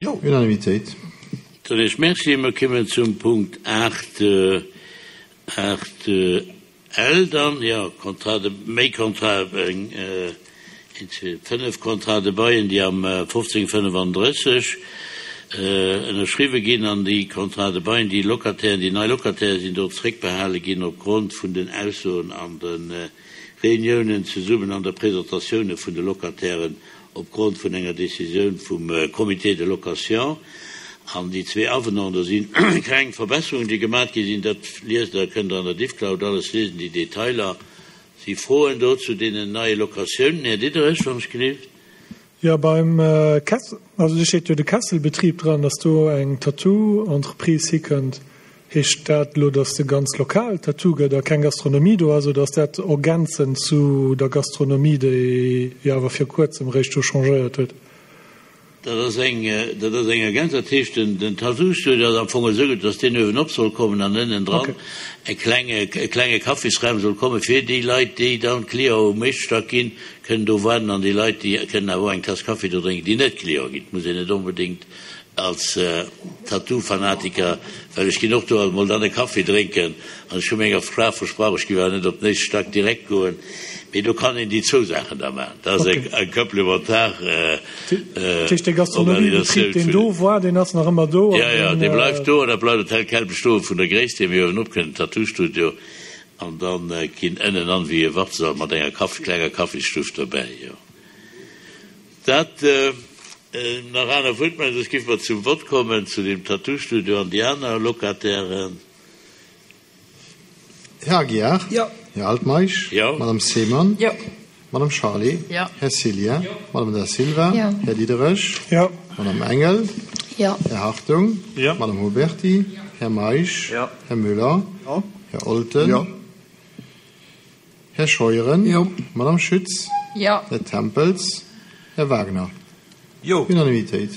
Unanimitéit. Soen Iech Merci. Mer kommen zum Punkt 8, 8 L dann, jo, Contrat de, méi Contrat, eng, een, zwee, fënnef Contrats de bail, déi am 1535 ënnerschriwwe ginn. An déi Contrats de bail, déi Locatairen, déi nei Locataire sinn do zréckbehale ginn opgrond vun den Aussoen an de Reuniounen zesummen an der Presentatioune vun de Locatairen opgrond vun enger Décisioun vum Comité de location. An déi zwee Avenants, do si kleng Verbesserungen, déi gemat gi sinn. Dat liest Der, kënnt Der an der Diffcloud alles liesen, déi Detailer. Si Froen do zu deenen neie Locatiounen? Här Diderich, wann ech gelift. Jo, beim Kessel, also do steet jo de Kesselbetrieb dran, dass do eng Tattoo-Entreprise hikënnt. Heescht dat elo, dass de ganz Lokal Tattoo gëtt a keng Gastronomie do ass, oder ass dat ergänzend zu der Gastronomie, déi jo awer vir kuerzem eréischt do changéiert huet? Dat ass eng, dat ass eng Ergänzung. Dat heescht, den, den Tattoo-Studio ass am Fong esou gutt, dass deen uewenop soll kommen an ënnendran e klenge, e klenge Kaffisraum soll kommen, fir déi Leit, déi dann Client um éischte Stack ginn, kënnen do waarden an déi Leit, déi kënnen awer och eng Tass Kaffi do drénken, déi net Client ginn. Et muss een net onbedéngt als Tattoo-Fanatiker, well ech ginn och do alt mol dann e Kaffi drénken an ech hu menger Fra versprach, ech géif awer net op den éischte Stack direkt goen, mee do kann een déi zwou Saachen da maachen. Dat ass eng komplementar Dat heescht, dee Gastronomiebetrib, deen do war, deen ass nach ëmmer do? Jo, jo, dee bleift do an dat bleift och tel quel bestoen, vun der Gréisst hier. Mir uewenop kënnt den Tattoo-Studio an da ginn ënnenan wéi e Wartesall mat enger klenger Kaffisstuff dobäi, jo. Dat nach aner Wuertmeldungen, soss géife mer zum Vott kommen zu deem Tattoo-Studio an déi aner Locatairen. Här Aguiar? Jo. Här Altmeisch? Jo. Madame Seemann? Jo. Madame Charlé? Jo. Här Cillien? Jo. Madame Da Silva? Jo. Här Diderich? Jo. Madame Engel? Jo. Här Hartung? Jo. Madame Huberty? Jo. Här Meisch? Jo. Här Müller? Jo. Här Olten? Jo. Här Scheuren? Jo. Madame Schütz? Jo. Här Tempels? Här Wagner? Jo. Unanimitéit.